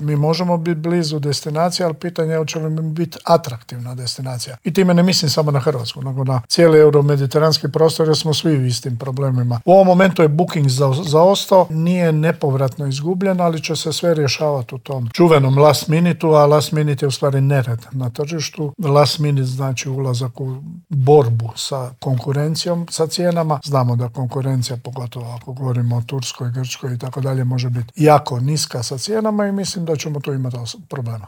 Mi možemo biti blizu destinacije, ali pitanje je hoće li mi biti atraktivna destinacija. I time ne mislim samo na Hrvatsku, nego na cijeli euromediteranski prostor, jer smo svi u istim problemima. U ovom momentu je booking zaostao, nije nepovratno izgubljen, ali će se sve rješavati u tom čuvenom last minutu, a last minute je u stvari nered na tržištu. Last minute znači ulazak u borbu sa konkurencijom, sa cijenama. Znamo da konkurencija, pogotovo ako govorimo o Turskoj, Grčkoj i tako dalje, može biti jako niska sa cijenama i mislim da ćemo tu imati problema.